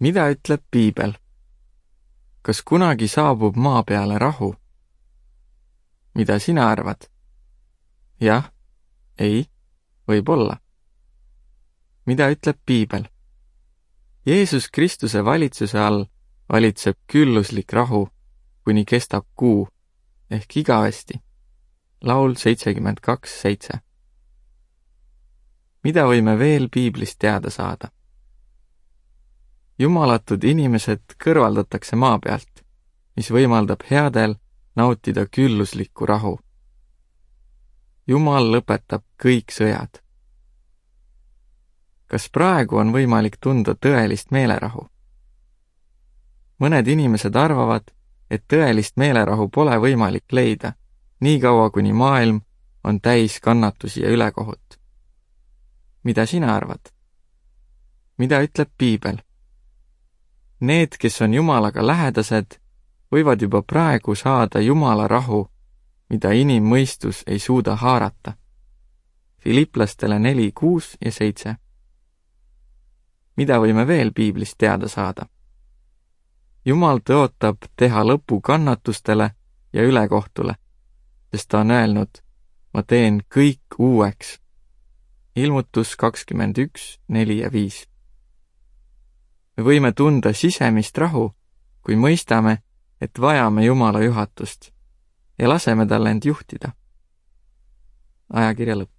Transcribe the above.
Mida ütleb piibel? Kas kunagi saabub maa peale rahu? Mida sina arvad? Jah, ei, võib-olla. Mida ütleb piibel? Jeesus Kristuse valitsuse all valitseb külluslik rahu, kuni kestab kuu, ehk igavesti. Laul 72:7. Mida võime veel piiblist teada saada? Jumalatud inimesed kõrvaldatakse maa pealt, mis võimaldab headel nautida külluslikku rahu. Jumal lõpetab kõik sõjad. Kas praegu on võimalik tunda tõelist meelerahu? Mõned inimesed arvavad, et tõelist meelerahu pole võimalik leida, nii kaua kuni maailm on täis kannatusi ja ülekohut. Mida sina arvad? Mida ütleb piibel? Need, kes on Jumalaga lähedased, võivad juba praegu saada Jumala rahu, mida inimmõistus ei suuda haarata. Filiplastele 4:6-7. Mida võime veel piiblist teada saada? Jumal tõotab teha lõpu kannatustele ja ülekohtule, sest ta on öelnud, ma teen kõik uueks. Ilmutus 21:4-5. Me võime tunda sisemist rahu, kui mõistame, et vajame Jumala juhatust ja laseme tal end juhtida. Ajakirja lõpp.